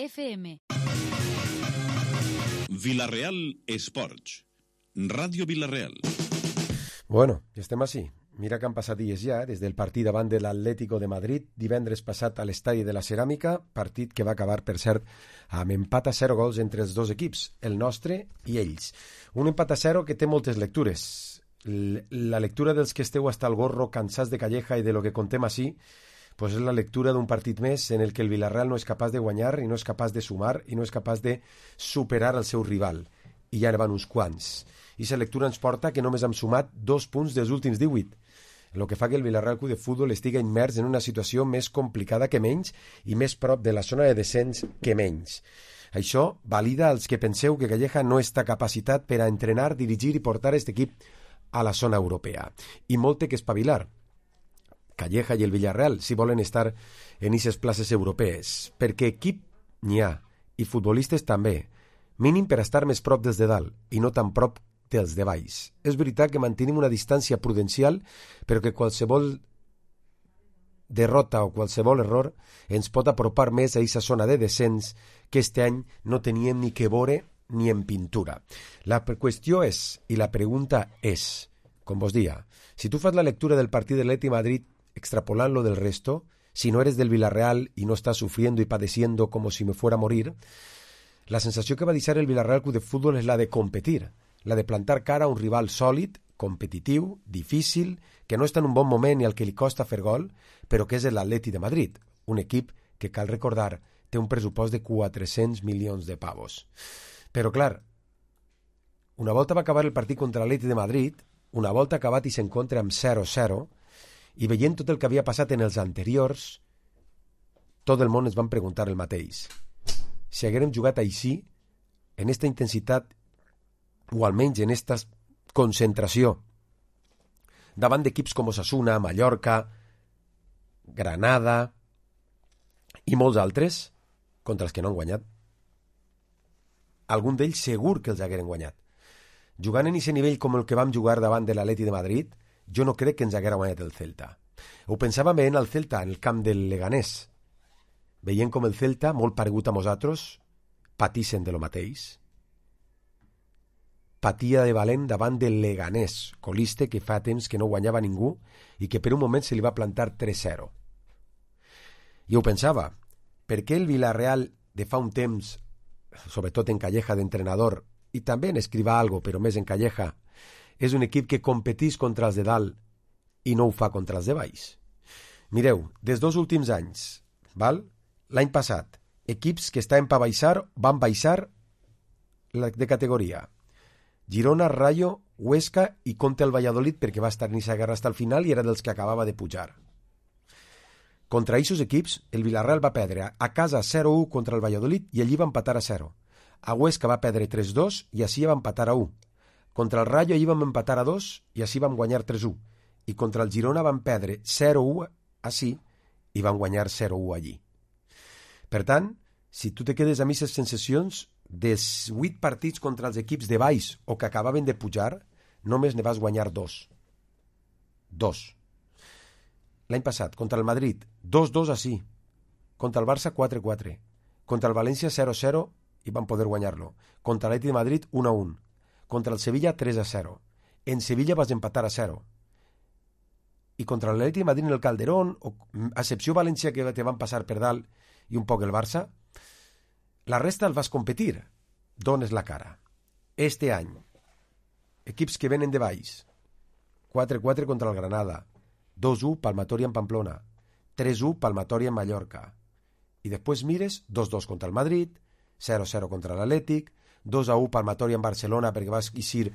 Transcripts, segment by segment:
FM. Vila-real Esports. Ràdio Vila-real. Bueno, estem així. Mira que han passat dies ja, des del partit davant de l'Atlético de Madrid, divendres passat a l'estadi de la Ceràmica, partit que va acabar, per cert, amb empat a 0 gols entre els dos equips, el nostre i ells. Un empat a 0 que té moltes lectures. La lectura dels que esteu hasta el gorro cansats de Calleja i de lo que contem així, pues és la lectura d'un partit més en el que el Villarreal no és capaç de guanyar i no és capaç de sumar i no és capaç de superar el seu rival. I ja van uns quants. I la lectura ens porta que només hem sumat 2 punts dels últims 18, el que fa que el Villarreal Club de Futbol estigui immers en una situació més complicada que menys i més prop de la zona de descens que menys. Això valida als que penseu que Calleja no està capacitat per a entrenar, dirigir i portar aquest equip a la zona europea. I molt té que espavilar Calleja i el Villarreal si volen estar en aquestes places europees, perquè equip n'hi ha i futbolistes també, mínim per estar més prop dels de dalt i no tan prop dels de baix. És veritat que mantenim una distància prudencial, però que qualsevol derrota o qualsevol error ens pot apropar més a aquesta zona de descens que este any no teníem ni que veure ni en pintura. La qüestió és, i la pregunta és, com vos dia, si tu fas la lectura del partit de l'Atleti Madrid extrapolant-lo del resto, si no eres del Villarreal y no estás sufriendo y padeciendo como si me fuera a morir, la sensació que va deixar el Villarreal Club de Futbol és la de competir, la de plantar cara a un rival sòlid, competitiu, difícil, que no està en un bon moment i al que li costa fer gol, però que és l'Atleti de Madrid, un equip que, cal recordar, té un pressupost de 400 milions de pavos. Però, clar, una volta va acabar el partit contra l'Atleti de Madrid, una volta acabat i s'encontra amb 0-0, i veient tot el que havia passat en els anteriors, tot el món ens van preguntar el mateix. Si haguérem jugat així, en esta intensitat, o almenys en esta concentració, davant d'equips com Osasuna, Mallorca, Granada i molts altres, contra els que no han guanyat, algun d'ells segur que els hagueren guanyat. Jugant en aquest nivell com el que vam jugar davant de l'Atleti de Madrid, jo no crec que ens haguera guanyat el Celta. Ho pensàvem veient el Celta en el camp del Leganés, veient com el Celta, molt paregut a nosaltres, patixen de lo mateix. Patia de valent davant del Leganés, coliste que fa temps que no guanyava ningú i que per un moment se li va plantar 3-0. I ho pensava, per què el Villarreal de fa un temps, sobretot en Calleja d'entrenador, i també en Escrivà algo, però més en Calleja, és un equip que competís contra els de dalt i no ho fa contra els de baix? Mireu, des dels últims anys, val? L'any passat, equips que estaven per baixar van baixar de categoria. Girona, Rayo, Huesca i contra el Valladolid perquè va estar en aquesta guerra fins al final i era dels que acabava de pujar. Contra aquests equips, el Villarreal va perdre a casa 0-1 contra el Valladolid i allí va empatar a 0. A Huesca va perdre 3-2 i així va empatar a 1. Contra el Rayo allí vam empatar a 2 i així vam guanyar 3-1. I contra el Girona vam perdre 0-1 així i vam guanyar 0-1 allí. Per tant, si tu te quedes amb aquestes sensacions, dels 8 partits contra els equips de baix o que acabaven de pujar, només ne vas guanyar 2. 2. L'any passat, contra el Madrid, 2-2 així. Contra el Barça, 4-4. Contra el València, 0-0 i van poder guanyar-lo. Contra l'Atleti de Madrid, 1-1. Contra el Sevilla, 3-0. En Sevilla vas empatar a 0. I contra l'Atleti de Madrid en el Calderón, a excepció València que te van passar per dalt i un poc el Barça, la resta el vas competir. Dones la cara. Este any, equips que venen de baix, 4-4 contra el Granada, 2-1 Palmatori en Pamplona, 3-1 Palmatori en Mallorca. I després mires 2-2 contra el Madrid, 0-0 contra l'Atlètic, 2-1 Palmatori en Barcelona perquè vas eixir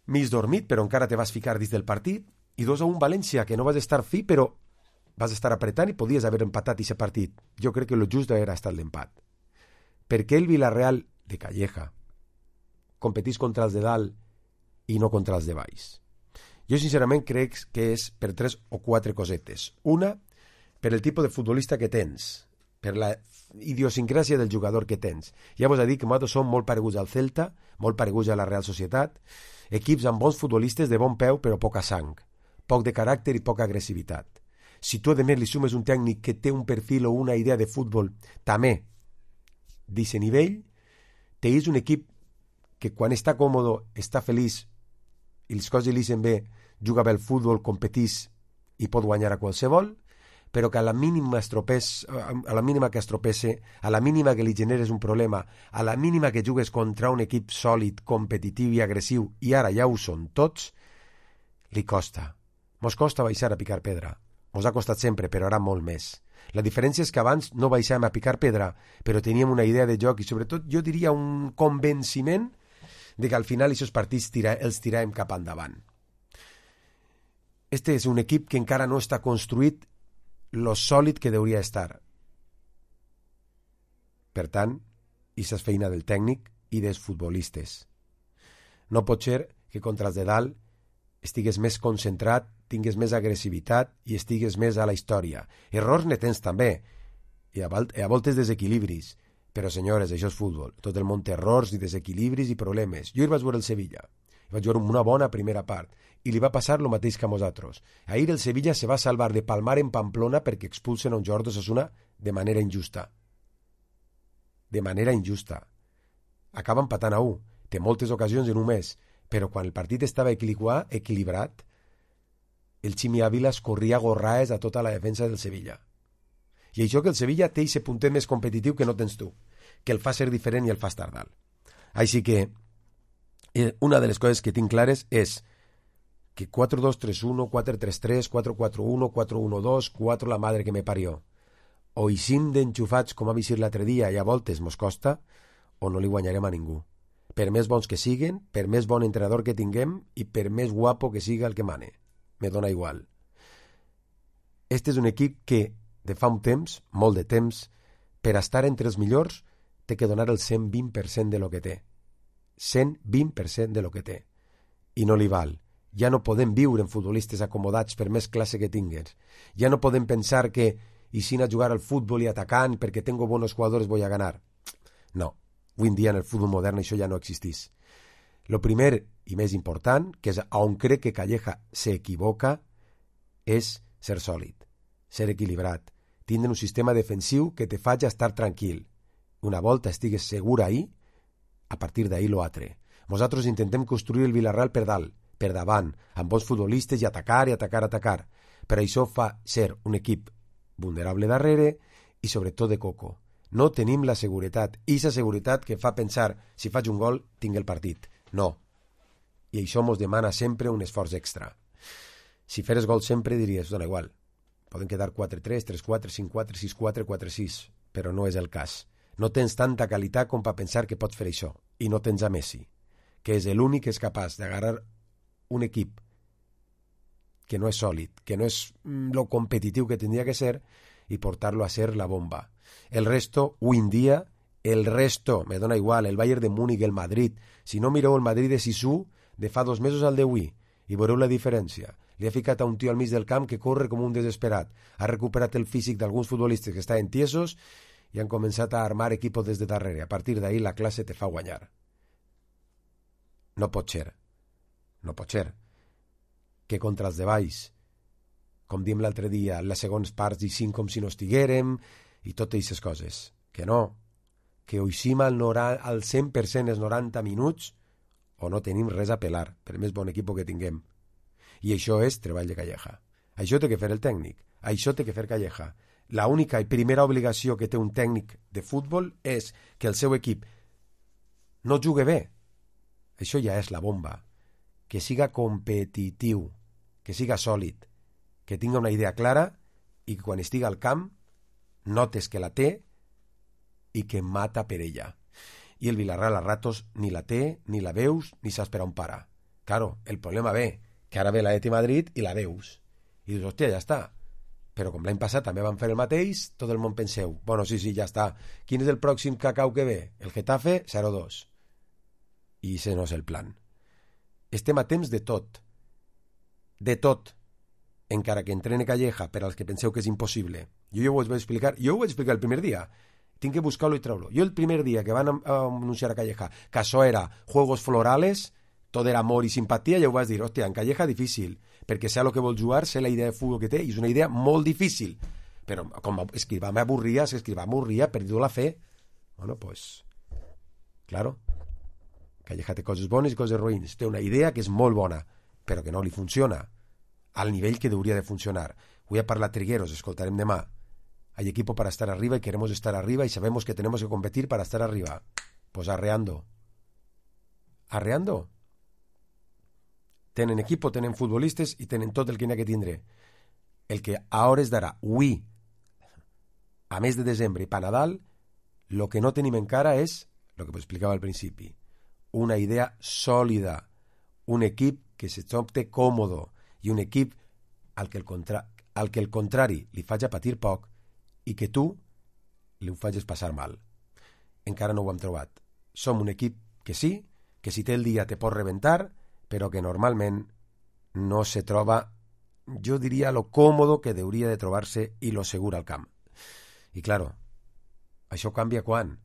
mig dormit però encara te vas ficar dins del partit, i 2-1 València, que no vas estar fi però vas estar apretant i podies haver empatat aquest partit. Jo crec que lo just era estar l'empat. Per què el Villarreal de Calleja competís contra els de dalt i no contra els de baix? Jo sincerament crec que és per 3 o 4 cosetes. Una, per el tipus de futbolista que tens, per la idiosincràsia del jugador que tens. Ja vos he dit que nosaltres som molt pareguts al Celta, molt pareguts a la Real Societat, equips amb bons futbolistes de bon peu però poca sang, poc de caràcter i poca agressivitat. Si tu a més li sumes un tècnic que té un perfil o una idea de futbol també d'aquest nivell, és un equip que quan està còmode, està feliç i les coses li sent bé, juga bé al futbol, competís i pot guanyar a qualsevol, però que a la mínima que es tropece, a la mínima que li generes un problema, a la mínima que jugues contra un equip sòlid, competitiu i agressiu, i ara ja ho són tots, li costa. Mos costa baixar a picar pedra. Mos ha costat sempre, però ara molt més. La diferència és que abans no baixàvem a picar pedra, però teníem una idea de joc i sobretot jo diria un convenciment de que al final aquests partits els tiràvem cap endavant. Este és un equip que encara no està construït lo sòlid que hauria estar. Per tant, això és feina del tècnic i dels futbolistes. No pot ser que contra els de dalt estigues més concentrat, tingues més agressivitat i estigues més a la història. Errors ne tens també, i a voltes desequilibris, però senyores, això és futbol. Tot el món té errors i desequilibris i problemes. Jo hi vaig veure el Sevilla, vaig veure una bona primera part, i li va passar el mateix que a nosaltres. Ahir el Sevilla se va salvar de palmar en Pamplona perquè expulsen a un jugador d'Osasuna de manera injusta. De manera injusta. Acaba empatant a 1. Té moltes ocasions en un mes, però quan el partit estava equilibrat, el Ximi Ávila es corria gorraes a tota la defensa del Sevilla. I això que el Sevilla té aquest puntet més competitiu que no tens tu, que el fa ser diferent i el fa estar dalt. Així que una de les coses que tinc clares és que 4-2-3-1, 4-3-3, 4-4-1, 4-1-2, 4 la madre que me parió. O hi sim d'enxufats com ha vist l'altre dia i a voltes mos costa, o no li guanyarem a ningú. Per més bons que siguen, per més bon entrenador que tinguem i per més guapo que siga el que mane. Me dona igual. Este és un equip que, de fa un temps, molt de temps, per estar entre els millors, té que donar el 120% de lo que té. 120% de lo que té. I no li val. Ja no podem viure en futbolistes acomodats per més classe que tingues. Ja no podem pensar que i si a jugar al futbol i atacant perquè tengo buenos jugadores voy a ganar. No. Avui en dia en el futbol modern això ja no existís. Lo primer i més important, que és on crec que Calleja s'equivoca, és ser sòlid, ser equilibrat, tindre un sistema defensiu que te faci estar tranquil. Una volta estigues segur ahí, a partir d'ahí lo altre. Nosaltres intentem construir el Villarreal per dalt, per davant, amb bons futbolistes i atacar i atacar, atacar. Però això fa ser un equip vulnerable darrere i sobretot de coco. No tenim la seguretat, i aquesta seguretat que fa pensar, si faig un gol, tinc el partit. No. I això mos demana sempre un esforç extra. Si feres gol sempre diries, dona igual, poden quedar 4-3, 3-4, 5-4, 6-4, 4-6, però no és el cas. No tens tanta qualitat com per pensar que pots fer això, i no tens a Messi, que és l'únic que és capaç d'agarrar un equip que no és sòlid, que no és lo competitiu que tindria que ser, i portar-lo a ser la bomba. El resto, avui en dia, me dona igual, el Bayern de Múnich, el Madrid. Si no mireu el Madrid de Sisu, de fa 2 mesos al d'avui, i veureu la diferència. Li ha ficat a un tio al mig del camp que corre com un desesperat. Ha recuperat el físic d'alguns futbolistes que estaven tiesos i han començat a armar equipos des de darrere. A partir d'ahí la classe te fa guanyar. No pot ser. No pot ser que contra els de baix, com diem l'altre dia, les segones parts i 5 com si no estiguérem i totes aquestes coses. Que no. Que ho hicim al 100% els 90 minuts o no tenim res a pelar, per més bon equip que tinguem. I això és treball de Calleja. Això té que fer el tècnic. Això té que fer Calleja. La única i primera obligació que té un tècnic de futbol és que el seu equip no jugui bé. Això ja és la bomba. Que siga competitiu, que siga sòlid, que tingui una idea clara i que quan estigui al camp notes que la té i que mata per ella. I el Villarreal a ratos ni la té, ni la veus, ni saps per on para. Claro, el problema ve, que ara ve l'Atleti Madrid i la veus. I dius, hòstia, ja està. Però com l'any passat també van fer el mateix, tot el món penseu, bueno, sí, ja està. Quin és el pròxim cacau que ve? El Getafe, 0-2. I ese no és el plan. Estem a temps de tot. De tot. Encara que entrene Calleja per als que penseu que és impossible. Jo ho vaig explicar el primer dia. Tinc que buscar-lo i treure-lo. Jo el primer dia que van anunciar a Calleja que això era juegos florales, tot era amor i simpatia, ja ho vas dir, hòstia, en Calleja difícil, perquè sé el que vol jugar, sé la idea de futbol que té, i és una idea molt difícil. Però com Escrivà m'avorria, per dur la fe. Bueno, pues, claro, Calleja té coses bones i coses roïns. Té una idea que és molt bona, però que no li funciona al nivell que hauria de funcionar. Avui ha parlat Trigueros, escoltarem demà. Hay equipo para estar arriba y queremos estar arriba y sabemos que tenemos que competir para estar arriba. Pues arreando. Arreando. Tenen equipo, tenen futbolistes i tenen tot el que n'hi ha que tindre. El que a hores d'ara, avui, a mes de desembre i pa Nadal, el que no tenim encara és, el que explicava al principi, una idea sòlida, un equip que se sente còmodo i un equip al que el contrari li faci patir poc i que tu li ho facis passar mal. Encara no ho hem trobat. Som un equip que sí, que si té el dia te pot rebentar, però que normalment no se troba, jo diria, lo còmodo que hauria de trobar-se i lo segur al camp. I, claro, això canvia quan?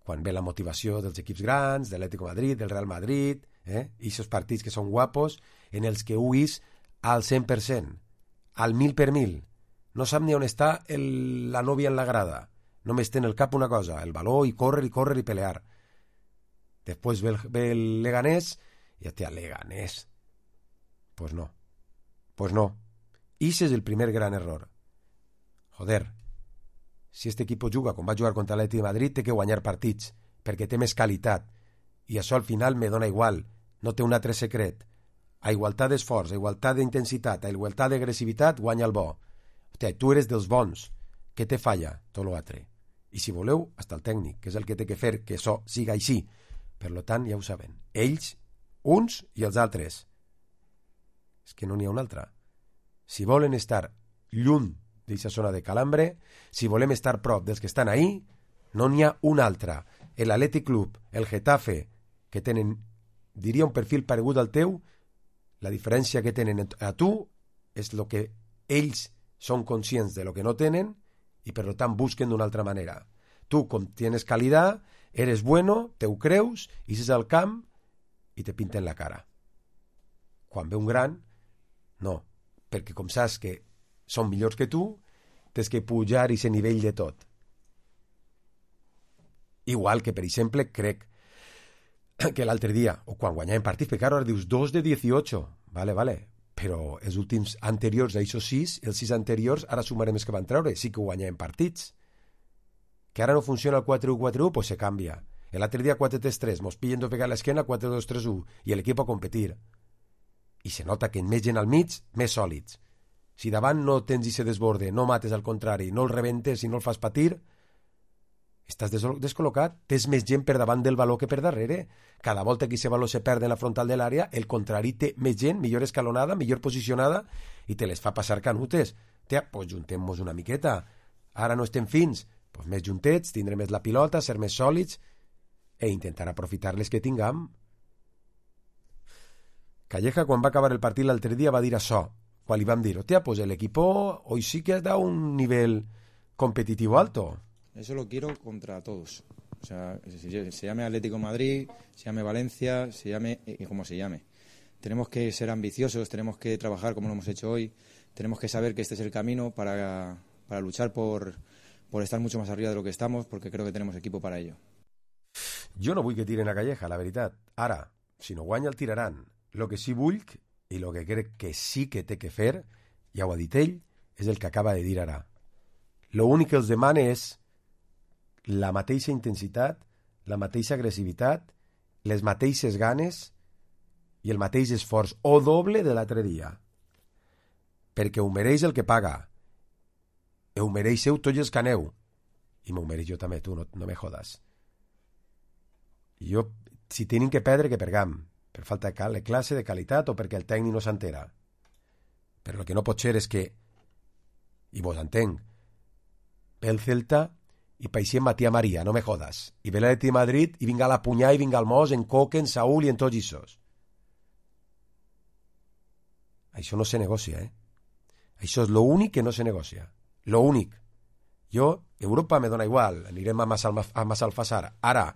Quan ve la motivació dels equips grans, de l'Atlético de Madrid, del Real Madrid, i aquests partits que són guapos, en els que huís al 100%, al 1000 per 1000. No sap ni on està la nòvia en la grada. Només té en el cap una cosa, el valor i córrer i pelear. Després ve el Leganés i hòstia, Leganés. Pues no. Ese és el primer gran error. Joder, si este equipo juga com va jugar contra l'Atlètic de Madrid, té que guanyar partits, perquè té més qualitat. I això al final me dona igual. No té un altre secret. A igualtat d'esforç, a igualtat d'intensitat, a igualtat d'agressivitat, guanya el bo. Hòstia, tu eres dels bons. Què te falla? Tot l'altre. I si voleu, hasta el tècnic, que és el que té que fer que això siga així. Per tant, ja ho saben. Ells, uns i els altres. És que no n'hi ha un altre. Si volen estar lluny d'aquesta zona de calambre, si volem estar prop dels que estan ahí, no n'hi ha un altre. L'Athletic Club, el Getafe, que tenen, diria, un perfil paregut al teu, la diferència que tenen a tu és el que ells són conscients de lo que no tenen i per tant busquen d'una altra manera. Tu, com tienes calidad, eres bueno, te ho creus, ixes al camp i te pinten la cara. Quan ve un gran, no, perquè com saps que són millors que tu, tens que pujar i ser nivell de tot. Igual que, per exemple, crec que l'altre dia, o quan guanyàvem partits, perquè ara dius 2 de 18, vale, però els últims anteriors a això 6, els 6 anteriors, ara sumarem els que van treure, sí que guanyàvem partits. Que ara no funciona el 4-1-4-1, pues se canvia. L'altre dia 4-3-3, mos pillen de pegar l'esquena 4-2-3-1 i l'equip a competir. I se nota que més gent al mig, més sòlids. Si davant no tens i se desborde, no mates al contrari, no el rebentes i no el fas patir, estàs descol·locat, tens més gent per davant del valor que per darrere. Cada volta que aquest valor se perd en la frontal de l'àrea, el contrari té més gent, millor escalonada, millor posicionada, i te les fa passar canutes. Pues juntem-nos una miqueta. Ara no estem fins, pues més juntets, tindrem més la pilota, ser més sòlids, e intentar aprofitar les que tinguem. Calleja, quan va acabar el partit l'altre dia, va dir això, quan li vam dir, hostia, pues el equipo hoy sí que has dado un nivel competitivo alto. Eso lo quiero contra todos. O sea, se llame Atlético de Madrid, se llame Valencia, se llame como se llame. Tenemos que ser ambiciosos, tenemos que trabajar como lo hemos hecho hoy, tenemos que saber que este es el camino para luchar por estar mucho más arriba de lo que estamos, porque creo que tenemos equipo para ello. Jo no vull que tiren a Calleja, la veritat. Ara, si no guanya el tiraran. Lo que sí vull, i lo que crec que sí que té que fer, ja ho ha dit ell, és el que acaba de dir ara. Lo únic que els demana és la mateixa intensitat, la mateixa agressivitat, les mateixes ganes i el mateix esforç, o doble de l'altre dia. Perquè ho mereix el que paga. Ho mereixeu tots els que aneu. I m'ho mereix jo també, tu, no me jodas. Jo, si tenim que perdre, que pergam, per falta de classe, de qualitat, o perquè el tècnic no s'entera. Però el que no pot ser és que, i vos entenc, ve el Celta i paixem Matías María, no me jodas. I ve l'Atlètic de Madrid i vinga la Punyà i vinga el Mos, en Coque, en Saúl i en tots aquests. Això no se negocia, Això és l'únic que no se negocia. L'únic. Jo, Europa me dona igual, anirem a Massalfassar. Ara,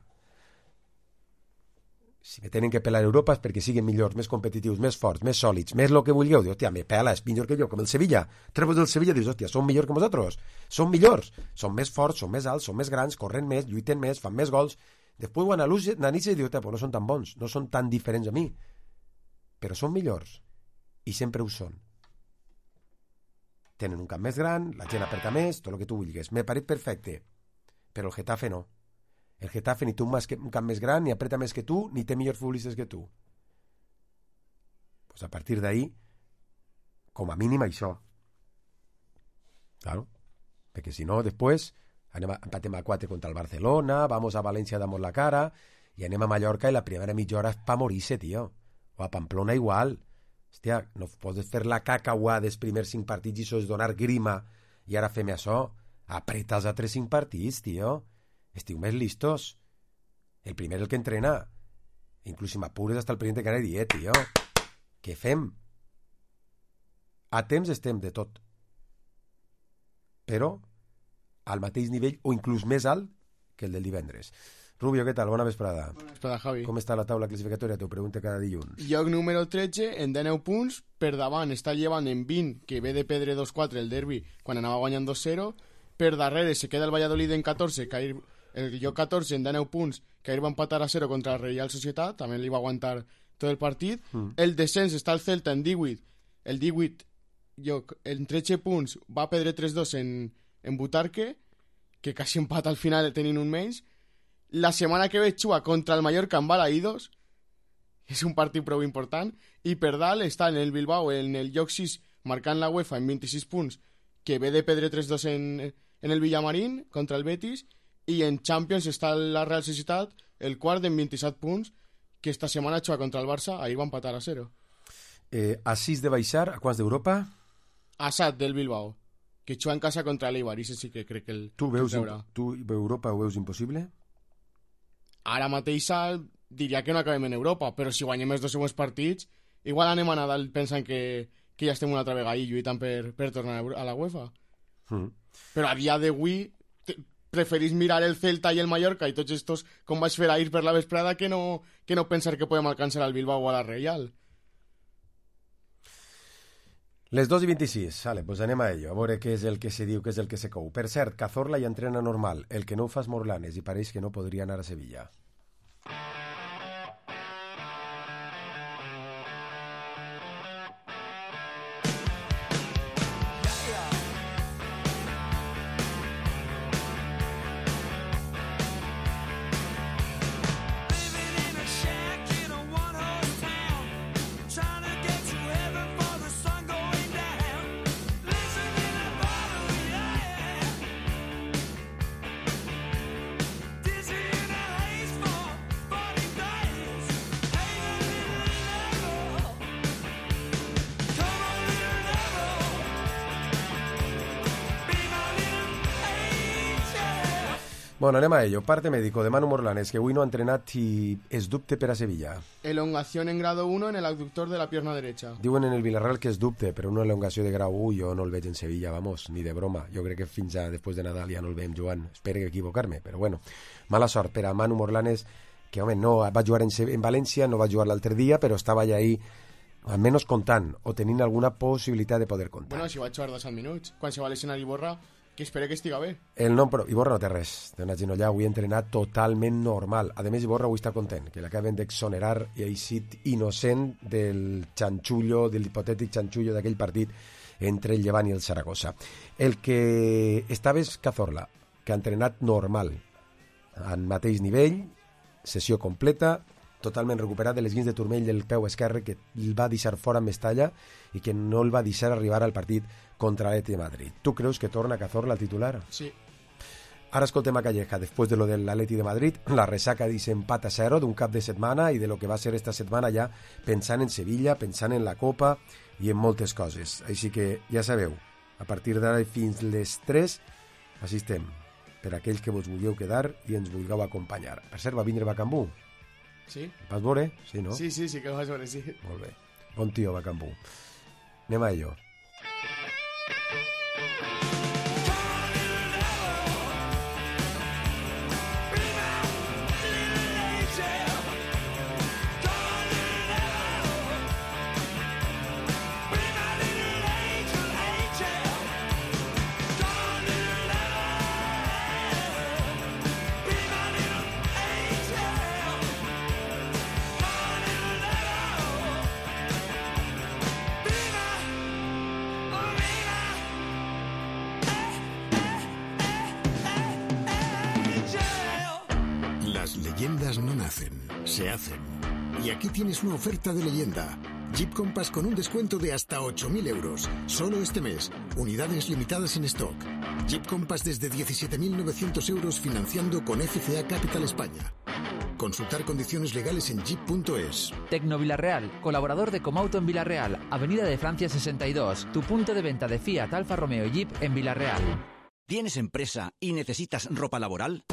si me tenen que pelar Europa és perquè siguin millors, més competitius, més forts, més sòlids, més el que vulgueu. Dius, hòstia, me pela, és millor que jo, com el Sevilla. Treus del Sevilla, dius, hòstia, són millors que vosaltres. Són millors, són més forts, són més alts, són més grans, corren més, lluiten més, fan més gols. Després quan analitzes dius, pues no són tan bons, no són tan diferents a mi, però són millors i sempre ho són. Tenen un camp més gran, la gent apreta més, tot el que tu vulguis. Me pareix perfecte, però el Getafe no. El Getafe ni té un camp més gran, ni apreta més que tu, ni té millors futbolistes que tu. Pues a partir d'ahí, com a mínim això. Claro, perquè si no, després empatem a 4 contra el Barcelona, vamos a València, damos la cara, i anem a Mallorca i la primera mitja hora és pa morir-se, tio. O a Pamplona igual. Hòstia, no pots fer la cacauà dels primers 5 partits i això és donar grima i ara fem això. Apreta els altres 5 partits, tio. Estiu més listos. El primer el que entrena. Inclús si m'apures hasta el president que anava a dir, tio, què fem? A temps estem de tot. Però al mateix nivell o inclús més alt que el del divendres. Rubio, què tal? Bona vesprada. Bona vesprada, Javi. Com està la taula classificatòria? T'ho pregunto cada dilluns. Lloc número 13, en 19 punts, per davant està llevant en 20, que ve de perdre 2-4 el derbi quan anava guanyant 2-0, per darrere se queda el Valladolid en 14, el lloc 14 en 19 punts, que ahir va empatar a 0 contra la Real Societat, també li va aguantar tot el partit. El descens està el Celta en 18, el 18 lloc en 13 punts va perdre 3-2 en Butarque, que quasi empata al final tenint un menys. La setmana que ve juga contra el Mallorca en Balaïdos, és un partit prou important, i per dalt està en el Bilbao en el lloc 6 marcant la UEFA en 26 punts, que ve de perdre 3-2 en el Villamarín contra el Betis, i en Champions està la Real Societat, el quart en 27 punts, que esta setmana juga contra el Barça, ahir va empatar a 0. A 6 de baixar, a quants d'Europa? A 7 del Bilbao, que juga en casa contra l'Eibar, i sí que crec que tu Europa ho veus impossible? Ara mateix diria que no acabem en Europa, però si guanyem els 2 següents partits, igual anem a Nadal pensant que ja estem una altra vegada i lluitant per tornar a la UEFA. Però a dia d'avui preferís mirar el Celta i el Mallorca i tots estos com vaig fer ahir per la vesprada que no pensar que podem alcançar al Bilbao o a la Real. Les 2:26, vale, pues anem a ello, a veure què és el que se diu, què és el que se cou. Per cert, Cazorla ja entrena normal, el que no ho fa és Morlanes i pareix que no podria anar a Sevilla. Bueno, anem a ello. Parte médico de Manu Morlanes, que avui no ha entrenat i es dubte per a Sevilla. Elongación en grado 1 en el abductor de la pierna derecha. Diuen en el Villarreal que es dubte, però una elongació de grau 1 jo no el veig en Sevilla, vamos, ni de broma. Jo crec que fins a després de Nadal ja no el veiem jugant. Espero equivocar-me, però bueno. Mala sort per a Manu Morlanes, que home, no va jugar en València, no va jugar l'altre dia, però estava ja ahí almenys comptant o tenint alguna possibilitat de poder comptar. Bueno, si va jugar 2 minuts, quan se va lesionar Iborra, que espero que estiga bé. El nom, però Iborra no té res, té una genollà, avui ha entrenat totalment normal. A més, Iborra avui està content, que l'acaben d'exonerar i ha eixit innocent del xanxullo, de l'hipotètic xanxullo d'aquell partit entre el Llevant i el Saragossa. El que estava és Cazorla, que ha entrenat normal, en mateix nivell, sessió completa, totalment recuperat de les guins de turmell del peu esquerre que el va deixar fora amb Mestalla i que no el va deixar arribar al partit contra l'Atleti de Madrid. Tu creus que torna Cazorla titular? Sí. Ara escoltem a Calleja, després de lo de l'Atleti de Madrid, la resaca d'aquest empat a 0 d'un cap de setmana i de lo que va ser esta setmana ja pensant en Sevilla, pensant en la Copa i en moltes coses. Així que ja sabeu, a partir d'ara fins les 3 així estem, per aquells que vos vulgueu quedar i ens vulgueu acompanyar. Per cert, va vindre Bacambú? Sí. Vas veure? Sí, no? Sí, que vas veure, sí. Molt bé. Bon tio, Bacambú. Anem a ello. Las leyendas no nacen, se hacen. Y aquí tienes una oferta de leyenda. Jeep Compass con un descuento de hasta 8.000 euros. Solo este mes. Unidades limitadas en stock. Jeep Compass desde 17.900 euros financiando con FCA Capital España. Consultar condiciones legales en jeep.es. Tecno Villarreal, colaborador de Comauto en Villarreal, Avenida de Francia 62, tu punto de venta de Fiat, Alfa Romeo y Jeep en Villarreal. ¿Tienes empresa y necesitas ropa laboral?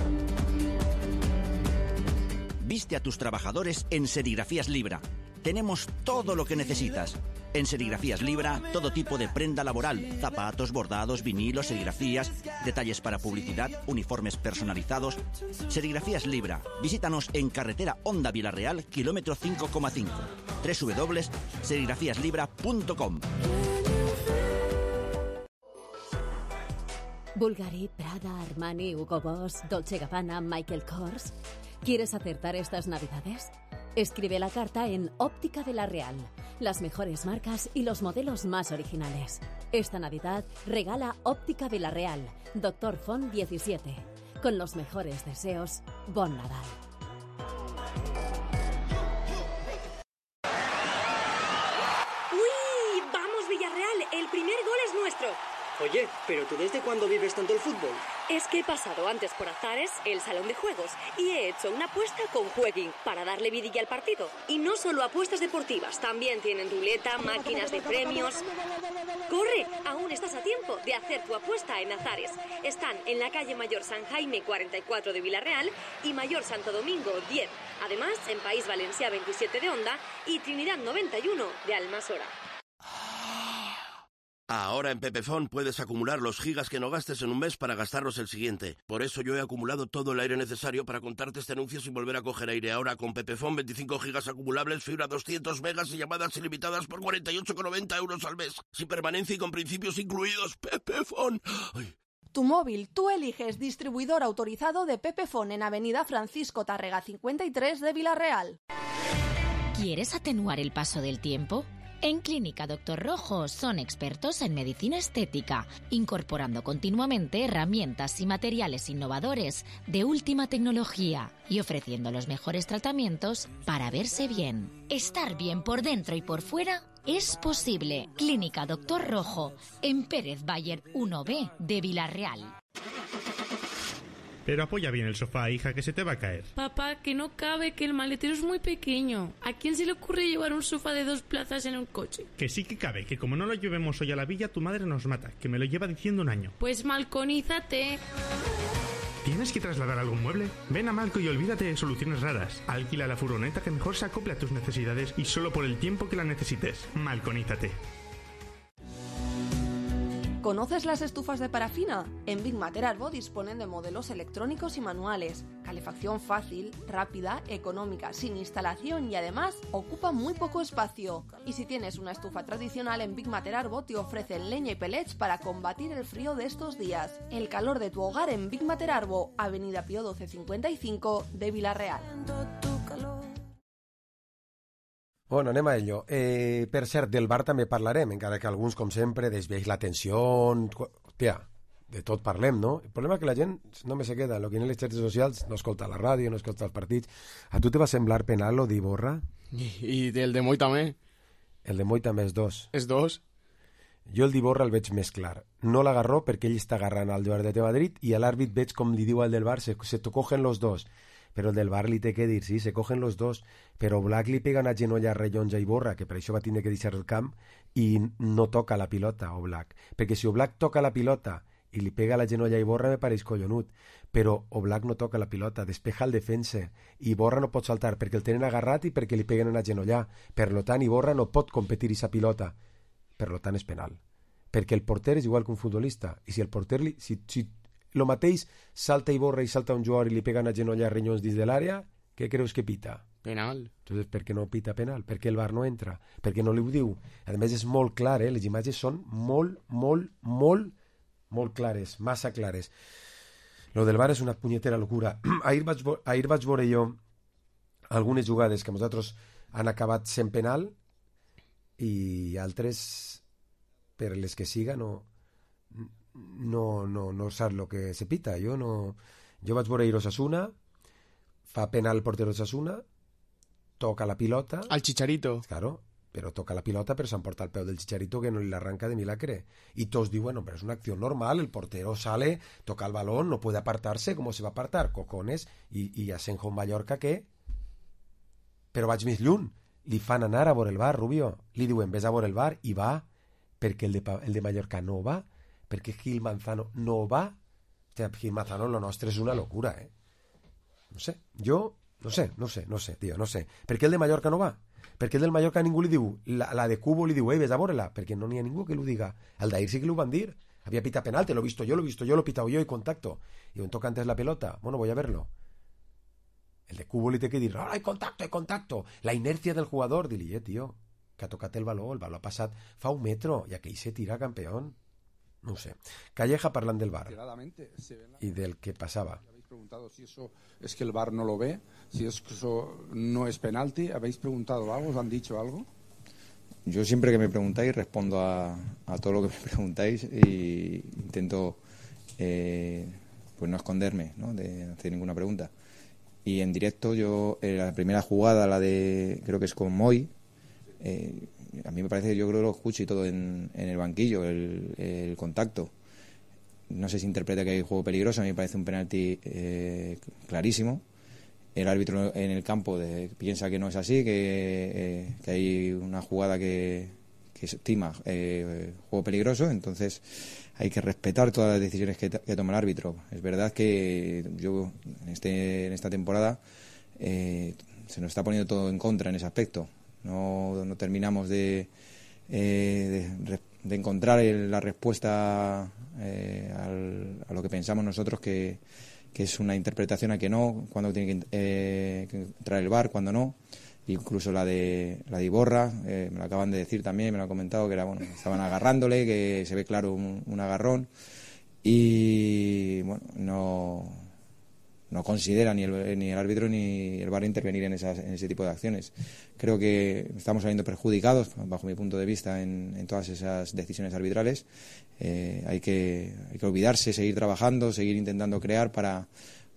Viste a tus trabajadores en Serigrafías Libra. Tenemos todo lo que necesitas. En Serigrafías Libra, todo tipo de prenda laboral, zapatos, bordados, vinilos, serigrafías, detalles para publicidad, uniformes personalizados. Serigrafías Libra. Visítanos en carretera Honda Villarreal, kilómetro 5,5. www.serigrafíaslibra.com. Bulgari, Prada, Armani, Hugo Boss, Dolce Gabbana, Michael Kors. ¿Quieres acertar estas Navidades? Escribe la carta en Óptica Villarreal. Las mejores marcas y los modelos más originales. Esta Navidad regala Óptica Villarreal, Dr. Font 17. Con los mejores deseos, Bon Nadal. ¡Uy! ¡Vamos, Villarreal! El primer gol es nuestro. Oye, ¿pero tú desde cuándo vives tanto el fútbol? Es que he pasado antes por Azares, el salón de juegos, y he hecho una apuesta con Jueguin para darle vidilla al partido. Y no solo apuestas deportivas, también tienen ruleta, máquinas de premios. ¡Corre! Aún estás a tiempo de hacer tu apuesta en Azares. Están en la calle Mayor San Jaime 44 de Villarreal y Mayor Santo Domingo 10. Además, en País Valencia 27 de Onda y Trinidad 91 de Almasora. Ahora en Pepefon puedes acumular los gigas que no gastes en un mes para gastarlos el siguiente. Por eso yo he acumulado todo el aire necesario para contarte este anuncio sin volver a coger aire. Ahora con Pepefon 25 gigas acumulables, fibra 200 megas y llamadas ilimitadas por 48,90 euros al mes. Sin permanencia y con principios incluidos. Pepefon. Ay. Tu móvil, tú eliges distribuidor autorizado de Pepefon en Avenida Francisco Tárrega 53 de Villarreal. ¿Quieres atenuar el paso del tiempo? En Clínica Doctor Rojo son expertos en medicina estética, incorporando continuamente herramientas y materiales innovadores de última tecnología y ofreciendo los mejores tratamientos para verse bien. Estar bien por dentro y por fuera es posible. Clínica Doctor Rojo, en Pérez Bayer 1B de Villarreal. Pero apoya bien el sofá, hija, que se te va a caer. Papá, que no cabe, que el maletero es muy pequeño. ¿A quién se le ocurre llevar un sofá de 2 plazas en un coche? Que sí que cabe, que como no lo llevemos hoy a la villa, tu madre nos mata, que me lo lleva diciendo un año. Pues malconízate. ¿Tienes que trasladar algún mueble? Ven a Malco y olvídate de soluciones raras. Alquila la furgoneta que mejor se acople a tus necesidades y solo por el tiempo que la necesites. Malconízate. ¿Conoces las estufas de parafina? En Big Mater Arbo disponen de modelos electrónicos y manuales, calefacción fácil, rápida, económica, sin instalación y además ocupa muy poco espacio. Y si tienes una estufa tradicional, en Big Mater Arbo te ofrecen leña y pellets para combatir el frío de estos días. El calor de tu hogar en Big Mater Arbo, Avenida Pío 1255 de Villarreal. Bueno, anem a ello. Per cert, del bar també parlarem, encara que alguns, com sempre, desvieix l'atenció. Hòstia, de tot parlem, no? El problema és que la gent només se queda en lo que en les xarxes socials, no escolta la ràdio, no escolta els partits. A tu te va semblar penal lo d'Iborra? I el de Moi també. El de Moi també és 2. És 2? Jo el d'Iborra el veig més clar. No l'agarró perquè ell està agarrant al jugador de Madrid i a l'àrbit veig com li diu al del bar, se cogen los dos. Pero el del bar li té que dir, sí, se cogen los dos, però Black li pega una genolla rellonja i Iborra, que per això va tindre que deixar el camp, i no toca la pilota, o Black. Perquè si Black toca la pilota i li pega la genolla a Iborra, me pareix collonut. Però Black no toca la pilota, despeja el defensa. Iborra no pot saltar perquè el tenen agarrat i perquè li peguen una genolla. Per lo tant, Iborra no pot competir aquesta pilota. Per lo tant, és penal. Perquè el porter és igual que un futbolista. I si el porter... Si lo mateix salta Iborra i salta un jugador i li pega una genolla a Renyons dins de l'àrea, què creus que pita? Penal. Entonces, per què no pita penal? Per què el VAR no entra? Per què no li ho diu? A més, és molt clar, les imatges són molt clares, massa clares. Lo del VAR és una punyetera locura. Ahir vaig veure jo algunes jugades que nosaltres han acabat sent penal i altres, per les que siga, no sap el que se pita. Jo vaig veure Osasuna, fa penal el portero d'Osasuna, toca la pilota... Al Chicharito. Claro, pero toca la pilota, pero s'emporta el peu del Chicharito que no li l'arranca de milagre. Y todos diuen, bueno, pero es una acción normal, el portero sale, toca el balón, no puede apartarse, ¿cómo se va a apartar? Cojones. Y Asenjo en Mallorca, ¿qué? Però vaig més lluny. Li fan anar a veure el bar, Rubio. Li diuen, ves a veure el bar, i va, perquè el de Mallorca no va, perquè Gil Manzano no va. Hòstia, Gil Manzano, lo nostre és una locura, eh? No sé, jo... No sé, tio, no sé. Per què el de Mallorca no va? Perquè el del Mallorca ningú li diu, la de Cubo li diu, ves a veure-la, perquè no n'hi ha ningú que lo diga. El d'ahir sí que lo van dir. Había pita penal, te lo he visto yo, lo he pitado yo y contacto. Y me toca antes la pelota. Bueno, voy a verlo. El de Cubo li té que dir, oh, hay contacto. La inercia del jugador. Dili, tio, que ha tocat el baló ha passat fa un metro, i aquell se tira campeón. No ho sé. Calleja parlant del VAR y del que pasaba. Preguntado si eso es que el VAR no lo ve, si eso no es penalti. ¿Habéis preguntado algo? ¿Os han dicho algo? Yo siempre que me preguntáis respondo a todo lo que me preguntáis y intento pues no esconderme, ¿no? De no hacer ninguna pregunta. Y en directo yo, la primera jugada, la de, creo que es con Moy, a mí me parece, yo creo que lo escucho y todo en el banquillo, el contacto. No sé si interpreta que hay juego peligroso, a mí me parece un penalti clarísimo. El árbitro en el campo piensa que no es así, que hay una jugada que estima juego peligroso, entonces hay que respetar todas las decisiones que toma el árbitro. Es verdad que yo en esta temporada se nos está poniendo todo en contra en ese aspecto. No terminamos de encontrar la respuesta a lo que pensamos nosotros que es una interpretación a que no, cuando tiene que entrar el VAR, cuando no. Incluso la de Iborra, me lo acaban de decir también, me lo han comentado, que era, bueno, estaban agarrándole, que se ve claro un agarrón, y bueno, no considera ni el árbitro ni el VAR intervenir en ese tipo de acciones. Creo que estamos saliendo perjudicados, bajo mi punto de vista, en todas esas decisiones arbitrales. Hay que olvidarse, seguir trabajando, seguir intentando crear para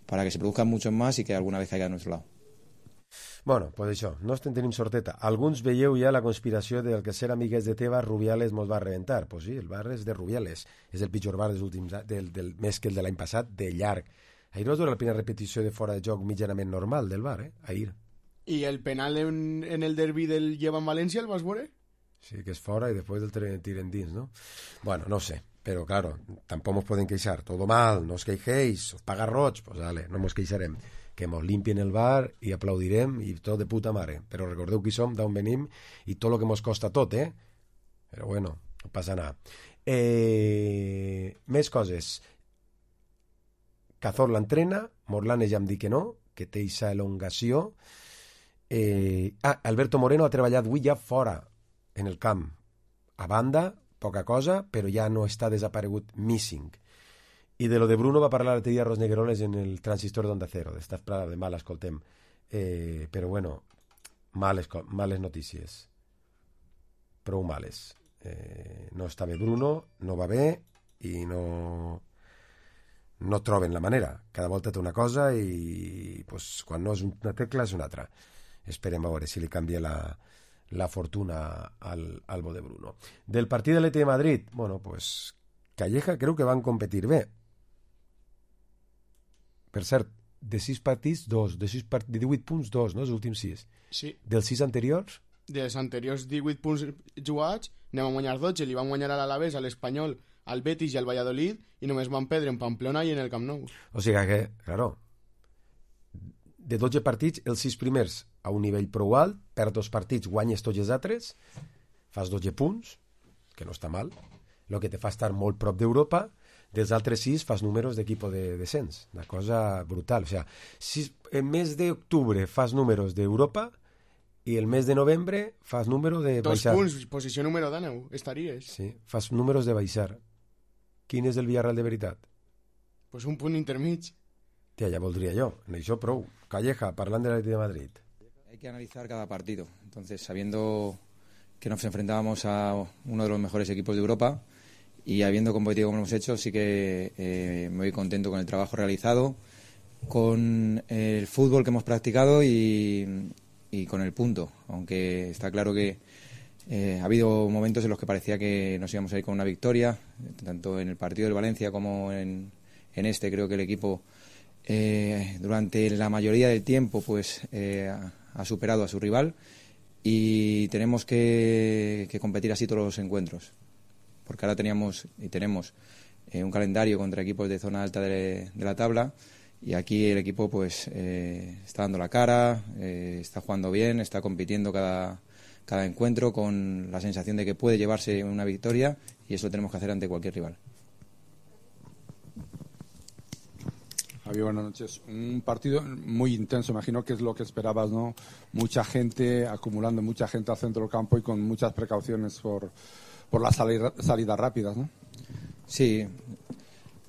que se produzcan muchos más y que alguna vez caiga a nuestro lado. Bueno, pues això, no estem tenim sorteta. Alguns veieu ja la conspiració del que ser amigues de Tebas, Rubiales mos va reventar. Pues sí, el bar és de Rubiales. És el pitjor bar dels últims, més que el de l'any passat, de llarg. Ahir vas veure la primera repetició de fora de joc mitjanament normal del bar, ahir. I el penal en el derbi del Lleva en València el vas veure? Sí, que és fora i després el tiren dins, ¿no? Bueno, no sé, però claro, tampoc nos pueden queixar. Todo mal, no os queixéis, os paga roig, pues dale, no mos queixarem. Que mos limpien el bar i aplaudirem i tot de puta mare. Però recordeu qui som, d'on venim i tot el que mos costa tot, eh? Però bueno, no passa nada. Més coses. Cazorla entrena, Morlanes ja em dic que no, que té aquesta elongació. Alberto Moreno ha treballat avui ja fora, en el camp. A banda, poca cosa, però ja no està desaparegut missing. I de lo de Bruno va parlar l'altre dia Ros Negueroles en el transistor d'Onda Cero. D'esta prada de mal, escoltem. Però bueno, males notícies. Prou males. No està bé Bruno, no va bé i no troben la manera. Cada volta té una cosa i pues, quan no és una tecla és una altra. Esperem a veure si li canvia la fortuna al bo de Bruno. Del partit de l'ET de Madrid, bueno, pues Calleja creu que van competir bé. Per cert, de 6 partits, 2. De 18 punts, 2, no? Els últims 6. Sí. Dels 6 anteriors? Dels anteriors 18 punts jugats, anem a guanyar 12, li van guanyar a l'Alavés, a l'Espanyol, al Betis i al Valladolid, i només van perdre en Pamplona i en el Camp Nou. O sigui que, claro, de 12 partits, els 6 primers a un nivell prou alt, per 2 partits guanyes tots els altres, fas 12 punts, que no està mal, el que te fa estar molt prop d'Europa. Dels altres 6 fas números d'equip de descens, una cosa brutal. O sea, si en mes d'octubre fas números d'Europa i el mes de novembre fas número de baixar. 2 punts, posició número 10, estaries. Sí, fas números de baixar. Quin és el Villarreal de veritat? Pues un punt intermig. Tia, ja voldria jo, en això prou. Calleja, parlant de l'Atleti de Madrid. Hay que analizar cada partido. Entonces, sabiendo que nos enfrentábamos a uno de los mejores equipos de Europa, y habiendo competido como hemos hecho, sí que me voy contento con el trabajo realizado con el fútbol que hemos practicado y con el punto, aunque está claro que ha habido momentos en los que parecía que nos íbamos a ir con una victoria, tanto en el partido del Valencia como en este. Creo que el equipo durante la mayoría del tiempo pues ha superado a su rival y tenemos que competir así todos los encuentros, porque ahora tenemos un calendario contra equipos de zona alta de la tabla y aquí el equipo pues está dando la cara, está jugando bien, está compitiendo cada encuentro con la sensación de que puede llevarse una victoria y eso lo tenemos que hacer ante cualquier rival. Javier, buenas noches. Un partido muy intenso, imagino que es lo que esperabas, ¿no? Mucha gente, acumulando mucha gente al centro del campo y con muchas precauciones por las salidas rápidas, ¿no? Sí,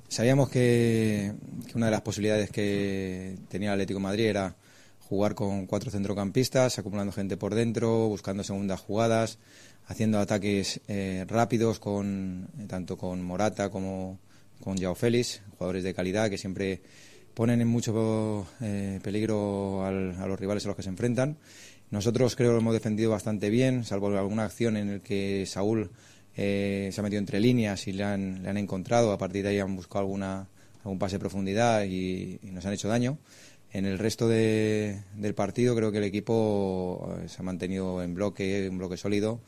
sabíamos que una de las posibilidades que tenía el Atlético de Madrid era jugar con 4 centrocampistas, acumulando gente por dentro, buscando segundas jugadas, haciendo ataques rápidos tanto con Morata como con Joao Félix, jugadores de calidad que siempre ponen en mucho peligro a los rivales a los que se enfrentan. Nosotros creo que lo hemos defendido bastante bien, salvo alguna acción en la que Saúl se ha metido entre líneas y le han encontrado. A partir de ahí han buscado algún pase de profundidad y nos han hecho daño. En el resto del partido creo que el equipo se ha mantenido en bloque, un bloque sólido,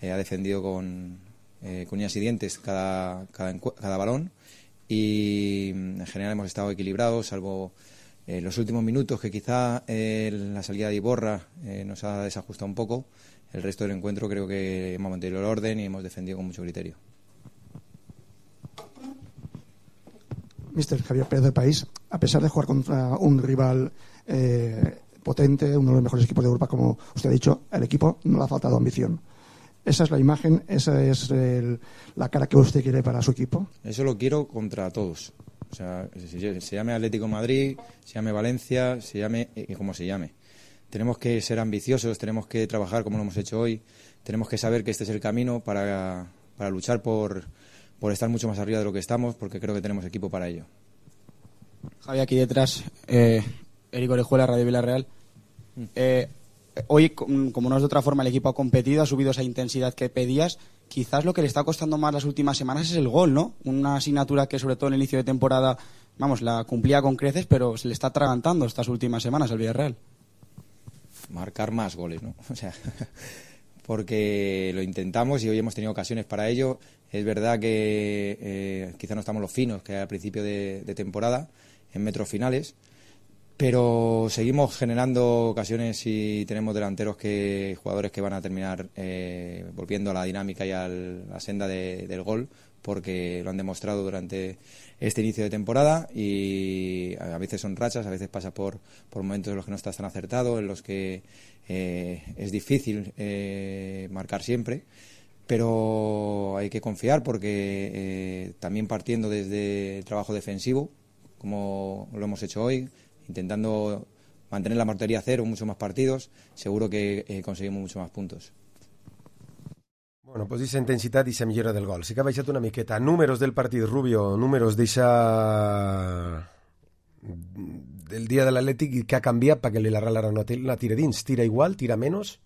ha defendido con uñas y dientes cada balón y en general hemos estado equilibrados, salvo los últimos minutos que quizá la salida de Iborra nos ha desajustado un poco. El resto del encuentro creo que hemos mantenido el orden y hemos defendido con mucho criterio. Mister Javier Pérez del País, a pesar de jugar contra un rival potente, uno de los mejores equipos de Europa, como usted ha dicho, al equipo no le ha faltado ambición. ¿Esa es la imagen, esa es la cara que usted quiere para su equipo? Eso lo quiero contra todos. O sea, se llame Atlético de Madrid, se llame Valencia, se llame como se llame. Tenemos que ser ambiciosos, tenemos que trabajar como lo hemos hecho hoy, tenemos que saber que este es el camino para luchar por estar mucho más arriba de lo que estamos, porque creo que tenemos equipo para ello. Javi, aquí detrás, Eric Orejuela, Radio Villarreal. Hoy, como no es de otra forma, el equipo ha competido, ha subido esa intensidad que pedías. Quizás lo que le está costando más las últimas semanas es el gol, ¿no? Una asignatura que, sobre todo en el inicio de temporada, la cumplía con creces, pero se le está atragantando estas últimas semanas al Villarreal. Marcar más goles, ¿no? O sea, porque lo intentamos y hoy hemos tenido ocasiones para ello. Es verdad que quizá no estamos los finos que al principio de temporada, en metros finales, pero seguimos generando ocasiones y tenemos delanteros jugadores que van a terminar volviendo a la dinámica y a la senda del gol, porque lo han demostrado durante este inicio de temporada y a veces son rachas, a veces pasa por momentos en los que no estás tan acertado, en los que es difícil marcar siempre, pero hay que confiar porque también partiendo desde el trabajo defensivo, como lo hemos hecho hoy, intentando mantener la portería a cero en muchos más partidos, seguro que conseguimos muchos más puntos. Bueno, pues aquesta intensitat i la millora del gol. Sí que ha baixat una miqueta. Números del partit, Rubio, números del dia de l'Atlètic i que ha canviat perquè el Villarreal ara no tira dins. Tira igual, tira menos?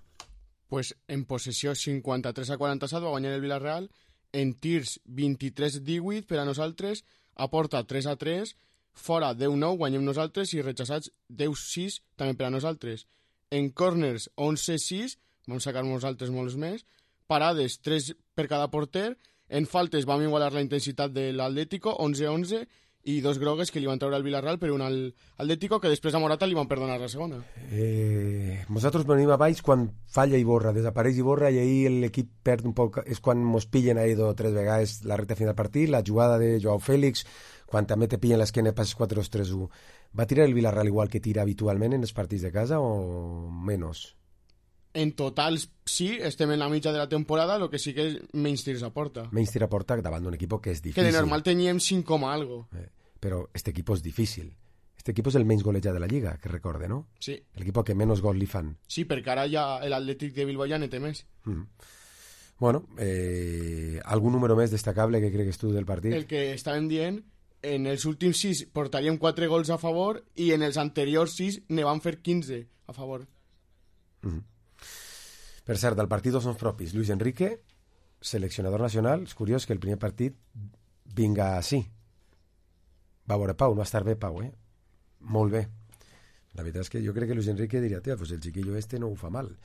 Pues en possessió 53-47 va guanyar el Villarreal, en tirs 23-18 per a nosaltres, a porta 3-3, fora 10-9 guanyem nosaltres i rechaçats 10-6 també per a nosaltres. En corners 11-6, vam sacar nosaltres molts més, parades 3 per cada porter, en faltes vam igualar la intensitat de l'Atlético 11-11 i 2 grogues que li van treure al Villarreal per un Atlético que després a Morata li van perdonar la segona. Nosaltres venim a baix quan falla Iborra, desapareix Iborra i ahir l'equip perd un poc, és quan mos pillen ahir 2 o 3 vegades la recta final del partit, la jugada de Joao Félix, quan també te pillen l'esquena passes 4-2-3-1. Va tirar el Villarreal igual que tira habitualment en els partits de casa o menys? En total sí, estem en la mitja de la temporada, el que sí que és menys tirs a porta. Menys tir a porta davant d'un equip que és difícil. Que de normal teníem 5 algo. Però este equip és difícil. Este equip és el menys golejat de la Lliga, que recorde, no? Sí. El equip que menys gols li fan. Sí, perquè ara ja l'Atlètic de Bilbao ja ne té més. Bueno, algun número més destacable que cregues tu del partit? El que estàvem dient, en els últims 6 portaríem 4 gols a favor i en els anteriors 6 ne van fer 15 a favor. Per cert, el partit dels noms propis. Luis Enrique, seleccionador nacional. És curiós que el primer partit vinga així. Va veure Pau, no va estar bé Pau, molt bé. La veritat és que jo crec que Luis Enrique diria, tia, pues el chiquillo este no ho fa mal.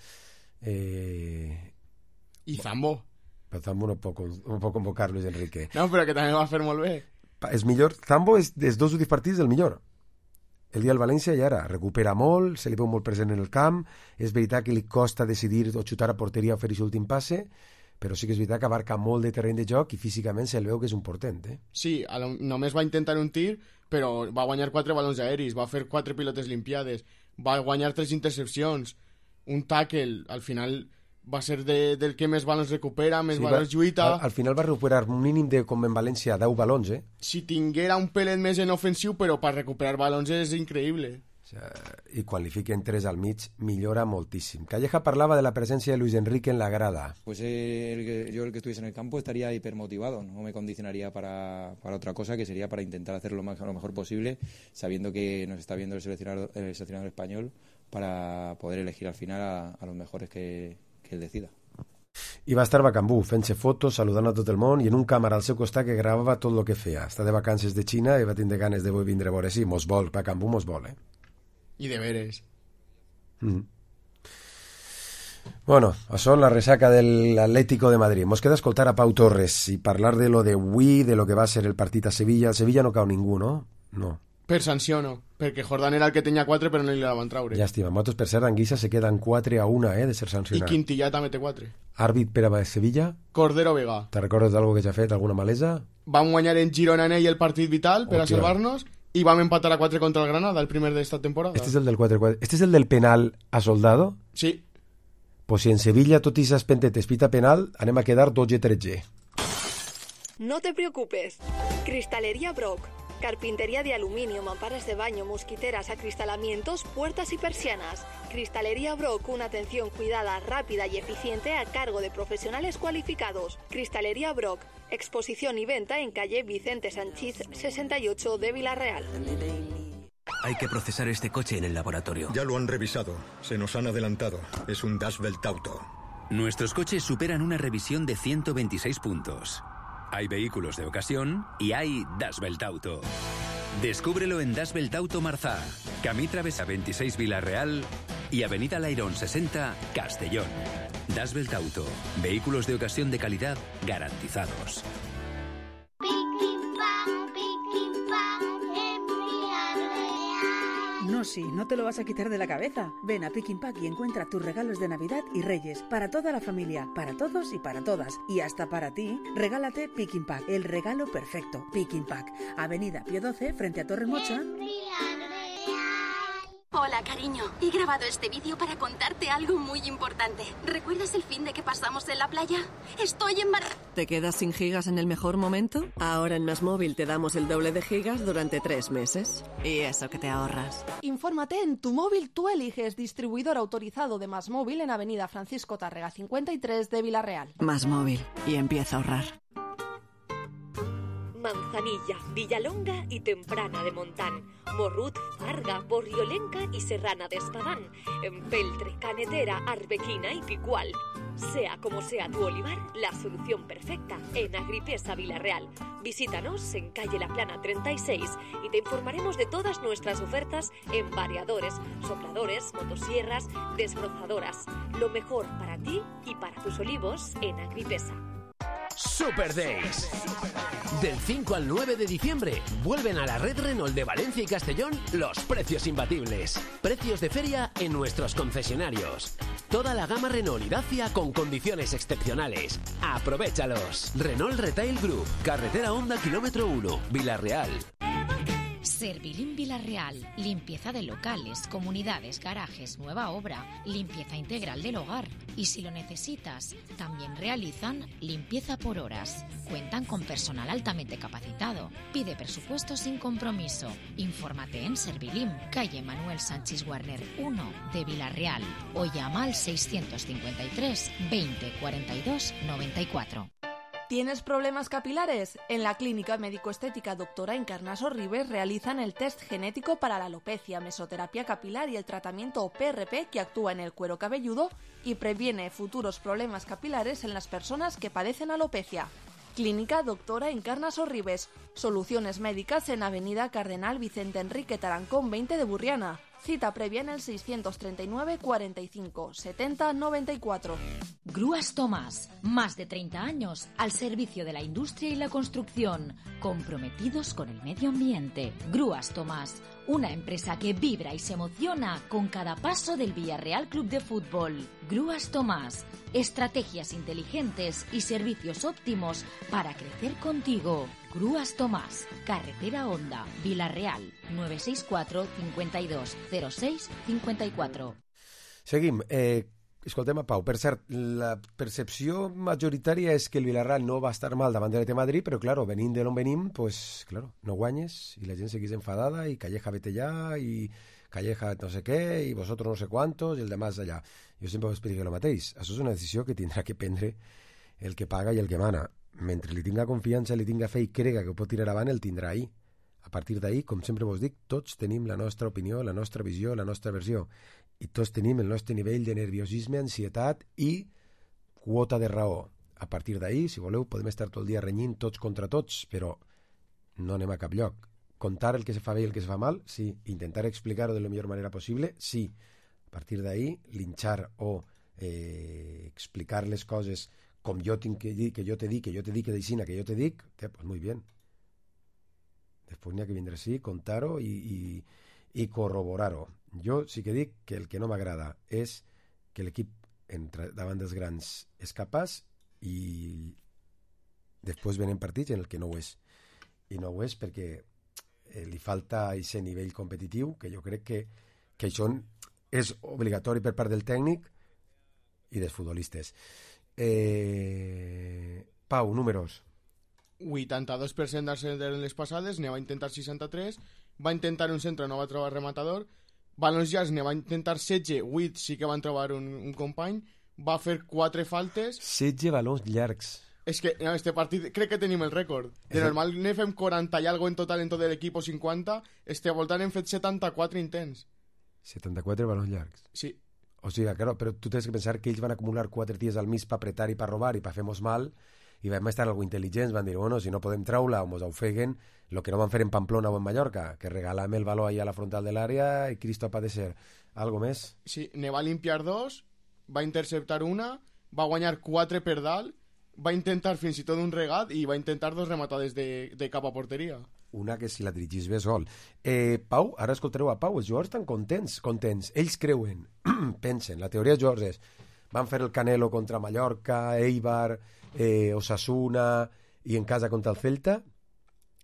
I Zambo. Però Zambo no pot convocar Luis Enrique. No, però que també va fer molt bé. És millor, Zambo és dels 2 últims partits el millor. El dia del València i ara recupera molt, se li veu molt present en el camp, és veritat que li costa decidir o xutar a porteria o fer aquest últim passe, però sí que és veritat que abarca molt de terreny de joc i físicament se li veu que és un portent. Sí, només va intentar un tir, però va guanyar 4 balons aeris, va fer 4 pilotes limpiades, va guanyar 3 intercepcions, un tackle, al final va ser del que més balons recupera, més balons lluita. Al final va recuperar un mínim de, com en València, 10 balons, Si tinguera un pelet més en ofensiu, però per recuperar balons és increïble. I quan li fiquen 3 al mig, millora moltíssim. Calleja parlava de la presència de Luis Enrique en la grada. Pues yo el que estuviese en el campo estaría hipermotivado, no me condicionaría para otra cosa, que sería para intentar hacer lo mejor posible, sabiendo que nos está viendo el seleccionador español, para poder elegir al final a los mejores que él decida. I va estar Bacambú fent-se fotos, saludant a tot el món i en un càmera al seu costat que gravava tot el que feia. Està de vacances de Xina i va tindre ganes de vindre a veure. Sí, mos vol, Bacambú mos vol, I de veres. Bueno, això és la resaca de l'Atlético de Madrid. Mos queda escoltar a Pau Torres i parlar de lo de avui, de lo que va ser el partit a Sevilla. Al Sevilla no cau ningú, no? No. Per sanció no, perquè Jordán era el que tenia 4 però no li la van traure. Llàstima, nosaltres per cert Anguissa se queden 4-1 de ser sancionat. I Quintillà també té 4. Àrbit per a Sevilla? Cordero Vega. Te recordes d'algo que ja ha fet, alguna malesa? Vam guanyar en Girona en ell el partit vital per a salvar-nos i vam empatar a 4 contra el Granada, el primer d'esta temporada. Este és el del 4-4. Este és el del penal a Soldado? Sí. Pues si en Sevilla tot i esas pentetes pita penal, anem a quedar 12-13. No te preocupes. Cristalería Brock. Carpintería de aluminio, mamparas de baño, mosquiteras, acristalamientos, puertas y persianas. Cristalería Brock, una atención cuidada, rápida y eficiente a cargo de profesionales cualificados. Cristalería Brock, exposición y venta en calle Vicente Sanchís 68 de Villarreal. Hay que procesar este coche en el laboratorio. Ya lo han revisado. Se nos han adelantado. Es un Dashbelt Auto. Nuestros coches superan una revisión de 126 puntos. Hay vehículos de ocasión y hay Dashbelt Auto. Descúbrelo en Dashbelt Auto Marzá, Camí Travesa 26 Villarreal y Avenida Lairón 60 Castellón. Dashbelt Auto. Vehículos de ocasión de calidad garantizados. No, sí, no te lo vas a quitar de la cabeza. Ven a Pick Pack y encuentra tus regalos de Navidad y Reyes. Para toda la familia, para todos y para todas. Y hasta para ti, regálate Pick Pack, el regalo perfecto. Pick Pack, Avenida Pío 12, frente a Torre Mocha. Hola, cariño. He grabado este vídeo para contarte algo muy importante. ¿Recuerdas el fin de que pasamos en la playa? Estoy embarazada. ¿Te quedas sin gigas en el mejor momento? Ahora en MásMóvil te damos el doble de gigas durante 3 meses. Y eso que te ahorras. Infórmate en Tu Móvil Tú Eliges, distribuidor autorizado de MásMóvil en Avenida Francisco Tárrega 53 de Villarreal. MásMóvil. Y empieza a ahorrar. Manzanilla, Villalonga y Temprana de Montán, Morrut, Farga, Borriolenca y Serrana de Espadán, Empeltre, Canetera, Arbequina y Picual. Sea como sea tu olivar, la solución perfecta en Agripesa Villarreal. Visítanos en calle La Plana 36 y te informaremos de todas nuestras ofertas en variadores, sopladores, motosierras, desbrozadoras. Lo mejor para ti y para tus olivos en Agripesa. Super Days. Del 5 al 9 de diciembre vuelven a la red Renault de Valencia y Castellón los precios imbatibles. Precios de feria en nuestros concesionarios. Toda la gama Renault y Dacia con condiciones excepcionales. ¡Aprovéchalos! Renault Retail Group, Carretera Honda Kilómetro 1, Villarreal. Servilín Villarreal, limpieza de locales, comunidades, garajes, nueva obra, limpieza integral del hogar. Y si lo necesitas, también realizan limpieza por horas. Cuentan con personal altamente capacitado. Pide presupuesto sin compromiso. Infórmate en Servilín, calle Manuel Sánchez Warner 1 de Villarreal o llama al 653 20 42 94. ¿Tienes problemas capilares? En la Clínica Médico-Estética Doctora Encarna Sorribes realizan el test genético para la alopecia, mesoterapia capilar y el tratamiento PRP que actúa en el cuero cabelludo y previene futuros problemas capilares en las personas que padecen alopecia. Clínica Doctora Encarna Sorribes. Soluciones médicas en Avenida Cardenal Vicente Enrique Tarancón 20 de Burriana. Cita previa en el 639 45 70 94. Grúas Tomás, más de 30 años al servicio de la industria y la construcción, comprometidos con el medio ambiente. Grúas Tomás, una empresa que vibra y se emociona con cada paso del Villarreal Club de Fútbol. Grúas Tomás, estrategias inteligentes y servicios óptimos para crecer contigo. Grúas Tomás, Carretera Honda, Vila-real, 964 52 06 54. Seguim. Escoltem a Pau. Per cert, la percepció majoritària és que el Villarreal no va estar mal davant de l'Atlètic Madrid, però, claro, venint de l'on venim, pues, claro, no guanyes i la gent seguís enfadada i Calleja vete allà i Calleja no sé què i vosotros no sé cuántos i el demás allà. Jo sempre ho explico el mateix. Això és una decisió que tindrà que prendre el que paga i el que mana. Mentre li tinga confiança, li tinga fe i crega que ho pot tirar avant, el tindrà ahí. A partir d'ahí, com sempre vos dic, tots tenim la nostra opinió, la nostra visió, la nostra versió. I tots tenim el nostre nivell de nerviosisme, ansietat i quota de raó. A partir d'ahí, si voleu, podem estar tot el dia renyint tots contra tots, però no anem a cap lloc. Contar el que se fa bé i el que se fa mal, sí. Intentar explicar-ho de la millor manera possible, sí. A partir d'ahí, linxar o explicar les coses com jo tinc que dir, que jo te dic, que jo te dic, que d'aixina, que jo te dic, pues muy bien. Després n'hi ha que vindre així, contar-ho i corroborar-ho. Jo sí que dic que el que no m'agrada és que l'equip davant dels grans és capaç i després venen partits en el que no ho és. I no ho és perquè li falta aquest nivell competitiu, que jo crec que això és obligatori per part del tècnic i dels futbolistes. Pau, números. 82% d'accidents en les passades, ne va intentar 63, va intentar un centre, no va trobar rematador, balons llargs ne va intentar 16, 8 sí que van trobar un company, va fer 4 faltes... 16 balons llargs. És que en este partit crec que tenim el rècord. De normal ne fem 40 i algo en total en tot l'equip o 50, este voltant hem fet 74 intents. 74 balons llargs. Sí. O sigui, claro, però tu tens que pensar que ells van acumular 4 dies al mig per apretar i per robar i per fer-nos mal, i vam estar algo intel·ligents, van dir, bueno, si no podem treure o mos ofeguen, el que no van fer en Pamplona o en Mallorca, que regalam el baló ahí a la frontal de l'àrea i Cristo ha de ser. Algo més? Sí, ne va limpiar 2, va interceptar una, va guanyar 4 per dalt, va intentar fins i tot un regat i va intentar 2 rematades de cap a porteria. Una que si la dirigís bé sol. Pau, ara escoltareu a Pau, els jugadors estan contents. Ells creuen, pensen, la teoria dels jugadors és, van fer el Canelo contra Mallorca, Eibar, Osasuna i en casa contra el Celta,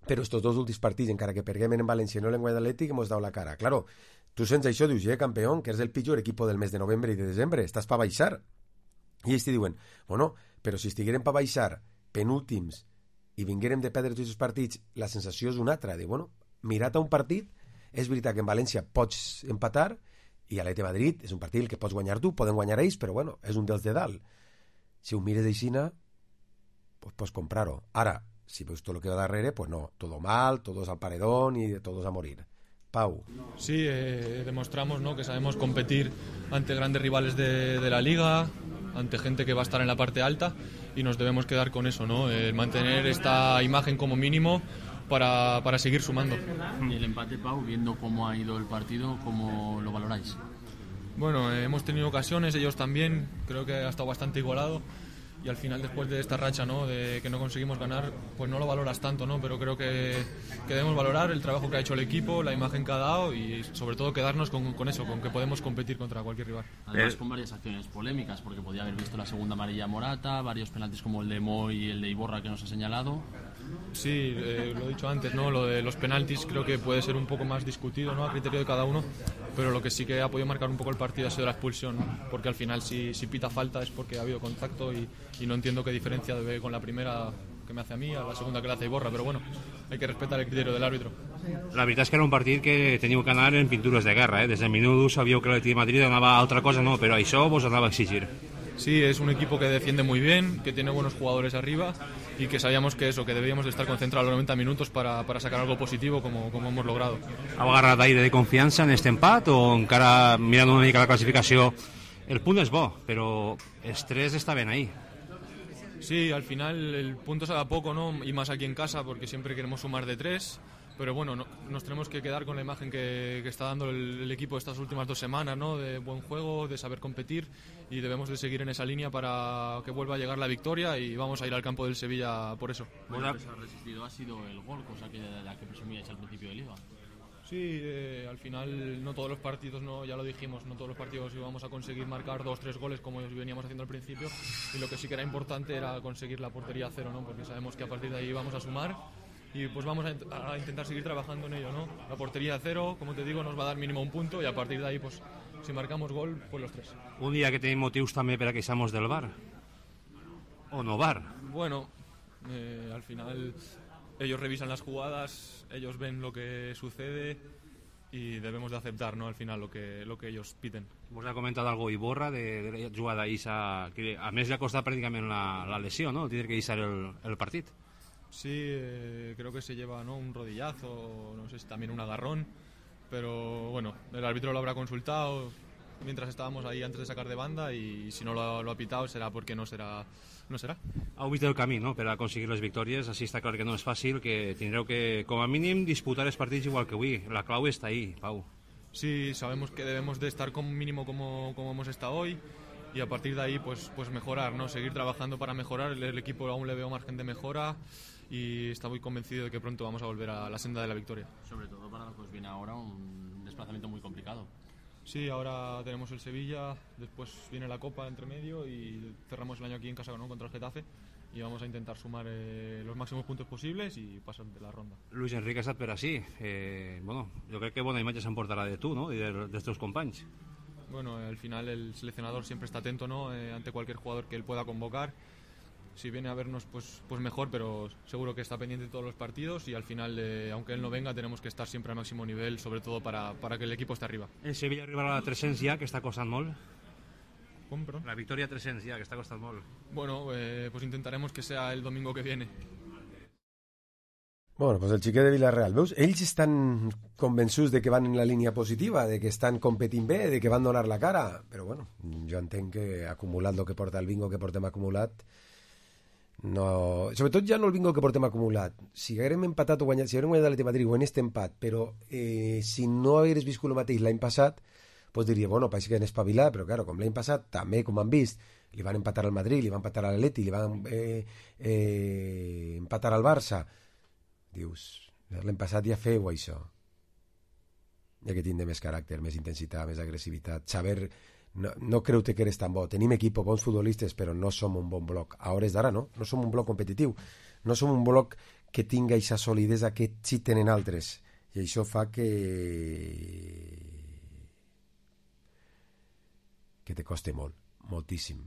però estos dos últims partits, encara que perguem en València i no l'en guanyat l'Atlètic, hemos dado la cara. Claro, tu sents això, dius, campeón, que és el pitjor equip del mes de novembre i de desembre, estàs pa baixar. I ells te diuen, bueno, però si estiguérem pa baixar penúltims i vinguérem de perdre tots els partits, la sensació és una altra, de, bueno, mirat a un partit, és veritat que en València pots empatar i a l'Atlètic Madrid és un partit que pots guanyar tu, poden guanyar ells, però bueno, és un dels de dalt. Si ho mires d'aixina, pues pots comprar-ho. Ara, si veus tot el que va darrere, pues no, todo mal, todos al paredón y todos a morir. Pau. Sí, demostramos, ¿no?, que sabemos competir ante grandes rivales de la liga, ante gente que va a estar en la parte alta, y nos debemos quedar con eso, ¿no? Mantener esta imagen como mínimo para seguir sumando. Y el empate, Pau, viendo cómo ha ido el partido, ¿cómo lo valoráis? Bueno, hemos tenido ocasiones, ellos también, creo que ha estado bastante igualado. Y al final, después de esta racha, ¿no?, de que no conseguimos ganar, pues no lo valoras tanto, ¿no? Pero creo que debemos valorar el trabajo que ha hecho el equipo, la imagen que ha dado y sobre todo quedarnos con eso, con que podemos competir contra cualquier rival. Además con varias acciones polémicas, porque podía haber visto la segunda amarilla Morata, varios penaltis como el de Moy y el de Iborra que nos ha señalado. Sí, lo he dicho antes, ¿no? Lo de los penaltis creo que puede ser un poco más discutido, ¿no?, a criterio de cada uno, pero lo que sí que ha podido marcar un poco el partido ha sido la expulsión, ¿no? Porque al final si pita falta es porque ha habido contacto y no entiendo qué diferencia debe con la primera que me hace a mí, a la segunda que le hace Iborra, però bueno, hay que respetar el criterio del árbitro. La veritat és que era un partit que teníeu que anar en pintures de guerra, Des del minut 1 sabíeu que l'Atlètic de Madrid anava a altra cosa, no, però això vos anava a exigir. Sí, es un equipo que defiende muy bien, que tiene buenos jugadores arriba y que sabíamos que debíamos de estar concentrados los 90 minutos para sacar algo positivo como hemos logrado. Heu agarrat aire de confiança en este empat o encara mirant una mica la classificació? El punt és bo, però els 3 estaven ahí. Sí, al final el punto se da poco, ¿no? Y más aquí en casa porque siempre queremos sumar de 3. Pero bueno, nos tenemos que quedar con la imagen que está dando el equipo estas últimas 2 semanas, ¿no? De buen juego, de saber competir, y debemos de seguir en esa línea para que vuelva a llegar la victoria, y vamos a ir al campo del Sevilla por eso. Lo que se ha resistido ha sido el gol, cosa que de la que presumíais al principio de Liga. Sí, al final no todos los partidos, no, ya lo dijimos, no todos los partidos íbamos a conseguir marcar 2-3 goles como veníamos haciendo al principio, y lo que sí que era importante era conseguir la portería a 0, ¿no? Porque sabemos que a partir de ahí vamos a sumar. Y pues vamos a intentar seguir trabajando en ello, ¿no? La portería a 0, como te digo, nos va a dar mínimo un punto, y a partir de ahí, pues si marcamos gol, pues los 3. Un dia que tenim motius també per a queixar-nos del VAR. O no VAR. Bueno, al final ellos revisan las jugadas, ellos ven lo que sucede y debemos de aceptar, ¿no? Al final lo que ellos piden. Vos ha comentat algo Iborra de la jugada d'Issa, que a més li ha costat pràcticament la lesió, no? Tindre que deixar el partit. Sí, creo que se lleva, ¿no? Un rodillazo, no sé si también un agarrón, pero bueno, el árbitro lo habrá consultado mientras estábamos ahí antes de sacar de banda, y si no lo ha pitado será porque no será. Heu vist el camí, no?, per a aconseguir les victòries. Així està clar que no és fàcil, que tindreu que, com a mínim, disputar els partits igual que avui. La clau està ahí, Pau. Sí, sabemos que debemos de estar como mínimo como hemos estado hoy, y a partir de ahí pues mejorar, ¿no? Seguir trabajando para mejorar. El equipo aún le veo margen de mejora, y está muy convencido de que pronto vamos a volver a la senda de la victoria. Sobre todo para lo que os viene ahora, un desplazamiento muy complicado. Sí, ahora tenemos el Sevilla, después viene la Copa entre medio y cerramos el año aquí en casa, ¿no?, contra el Getafe, y vamos a intentar sumar los máximos puntos posibles y pasar de la ronda. Luis Enrique ha estat per així. Bueno, jo crec que bona imatge s'emportarà de tu, ¿no?, i dels teus companys. Bueno, al final el seleccionador siempre está atento, ¿no?, ante cualquier jugador que él pueda convocar. Si viene a vernos, pues mejor, pero seguro que está pendiente de todos los partidos, y al final, aunque él no venga, tenemos que estar siempre al máximo nivel, sobre todo para que el equipo esté arriba. El Sevilla arribarà a la 300 ja, que està costant molt. ¿Cómo, perdón? La victòria a 300 ja, que està costant molt. Bueno, pues intentaremos que sea el domingo que viene. Bueno, pues el xiquet de Villarreal, veus? Ells estan convençuts de que van en la línia positiva, de que estan competint bé, de que van donar la cara, però bueno, jo entenc que acumulat el que porta el bingo que portem acumulat, no... Sobretot ja no el bingo que portem acumulat. Si haguérem empatat o guanyat, si haguérem guanyat l'Atlètic de Madrid o en este empat, però si no hagués viscut el mateix l'any passat, pues diria, bueno, pareix que han espavilat, però claro, com l'any passat, també, com han vist, li van empatar al Madrid, li van empatar a l'Atlètic, li van empatar al Barça. Dius, l'any passat ja feu això. Ja que tindre més caràcter, més intensitat, més agressivitat, saber... No creu-te que eres tan bo. Tenim equip, bons futbolistes, però no som un bon bloc. A hores d'ara, no? No som un bloc competitiu. No som un bloc que tinga aquesta solidesa que sí tenen altres. I això fa que te coste molt, moltíssim.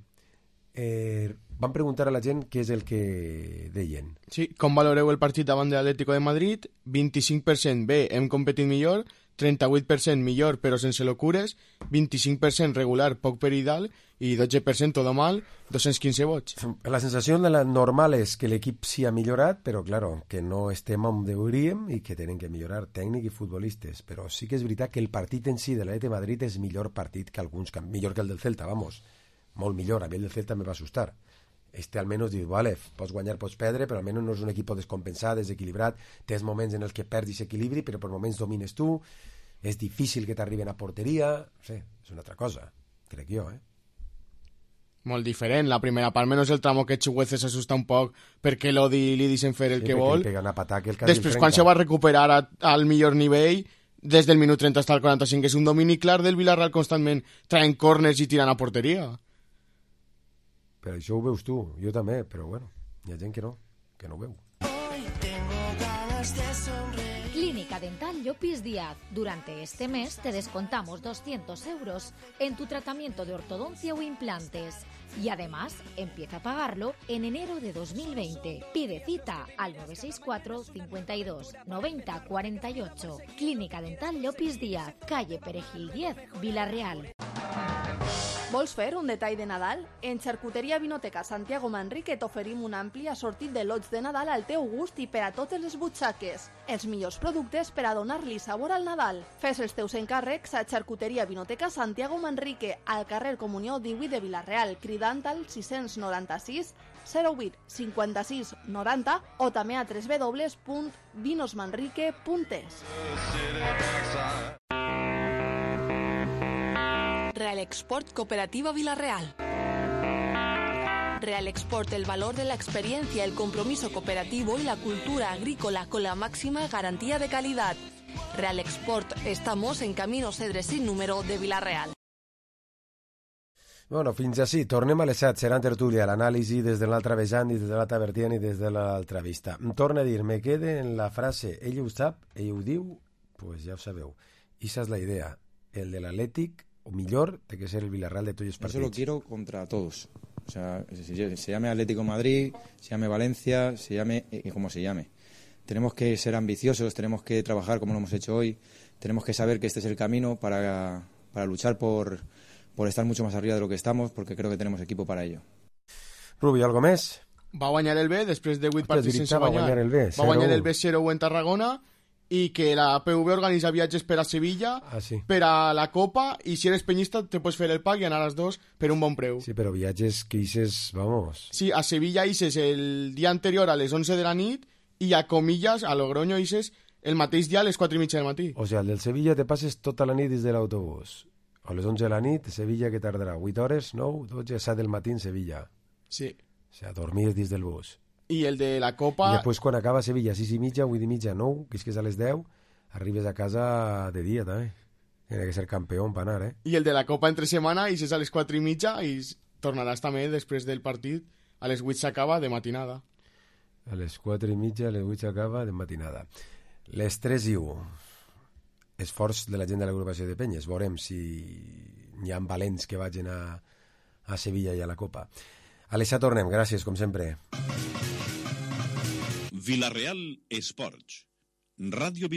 Van preguntar a la gent què és el que deien. Sí, com valoreu el partit davant de l'Atlético de Madrid? 25% bé, hem competit millor, 38% millor però sense locures, 25% regular, poc per i dalt, i 12% todo mal, 215 vots. La sensació normal és que l'equip sí ha millorat, però claro, que no estem on hauríem i que tenen que millorar tècnic i futbolistes, però sí que és veritat que el partit en si de l'Atlètic de Madrid és millor partit que alguns, millor que el del Celta, vamos, molt millor. A mi el del Celta me va assustar. Almenys dius, vale, pots guanyar, pots perdre, però almenys no és un equip descompensat, desequilibrat, tens moments en els que perdis equilibri, però per moments domines tu, és difícil que t'arriben a porteria, no sé, és una altra cosa, crec jo, Molt diferent, la primera part, menys el tramo que Chuguece s'assusta un poc perquè l'Odi li deixen fer el que vol. Després, quan se va recuperar al millor nivell, des del minut 30 fins al 45, és un domini clar del Villarreal constantment traient corners i tirant a porteria. Però això ho veus tu, jo també, però bueno, hi ha gent que no ho veu. Clínica Dental Llopis Díaz. Durante este mes te descontamos 200 euros en tu tratamiento de ortodoncia o implantes. Y además, empieza a pagarlo en enero de 2020. Pide cita al 964 52 90 48. Clínica Dental Llopis Díaz, calle Perejil 10, Villarreal. Vols fer un detall de Nadal? En Xarcuteria Vinoteca Santiago Manrique t'oferim un ampli assortit de lots de Nadal al teu gust i per a totes les butxaques. Els millors productes per a donar-li sabor al Nadal. Fes els teus encàrrecs a Xarcuteria Vinoteca Santiago Manrique, al carrer Comunió 18 de Vila-real, cridant al 696 08 56 90 o també a www.vinosmanrique.es. Real Export Cooperativa Vila-real. Real Export, el valor de la experiencia, el compromiso cooperativo y la cultura agrícola con la máxima garantía de calidad. Real Export, estamos en Camino Cedres sin número de Vila-real. Bueno, fins així. Tornem a les 7. Serà en tertúlia, l'anàlisi des de l'altre vessant i des de l'altre vertient i des de l'altra vista. Em torna a dir, me quede en la frase ell ho sap, ell ho diu, pues ja ho sabeu. Esa és la idea. El de l'Atlètic, o millor, té que ser el Villarreal de tots els partits. Eso lo quiero contra todos. O sea, se llame Atlético Madrid, se llame Valencia, se llame como se llame. Tenemos que ser ambiciosos, tenemos que trabajar como lo hemos hecho hoy, tenemos que saber que este es el camino para luchar por estar mucho más arriba de lo que estamos, porque creo que tenemos equipo para ello. Rubi, algo més? Va guanyar el B després de 8 partits sense guanyar. guanyar. Va guanyar el B 0 en Tarragona i que la PV organitza viatges per a Sevilla, per a la Copa, i si eres penyista te pots fer el pack i anar a les dos per un bon preu. Sí, però viatges que ixes, vamos... Sí, a Sevilla ixes el dia anterior a les 11 de la nit i a Comillas, a Logroño, ixes el mateix dia a les 4:30 del matí. O sigui, el del Sevilla te passes tota la nit des de l'autobús. A les 11 de la nit, Sevilla, que tardarà? 8 hores, 9, 12, 7 del matí en Sevilla. Sí. O sigui, dormir dins del bus. I el de la Copa... I després quan acaba Sevilla, 6:30, 8:30, 9, que és que és a les 10, arribes a casa de dia, també. Tiene que ser campió per anar, eh? I el de la Copa entre setmana, i és a les 4:30 i tornaràs també després del partit. A les 8 s'acaba de matinada. A les 4:30, a les 8 s'acaba de matinada. Les 3:01. Esforç de la gent de l'agrupació de Penyes. Veurem si hi ha valents que vagin a Sevilla i a la Copa. A les 7 tornem. Gràcies, com sempre. Vila-real Esports. Ràdio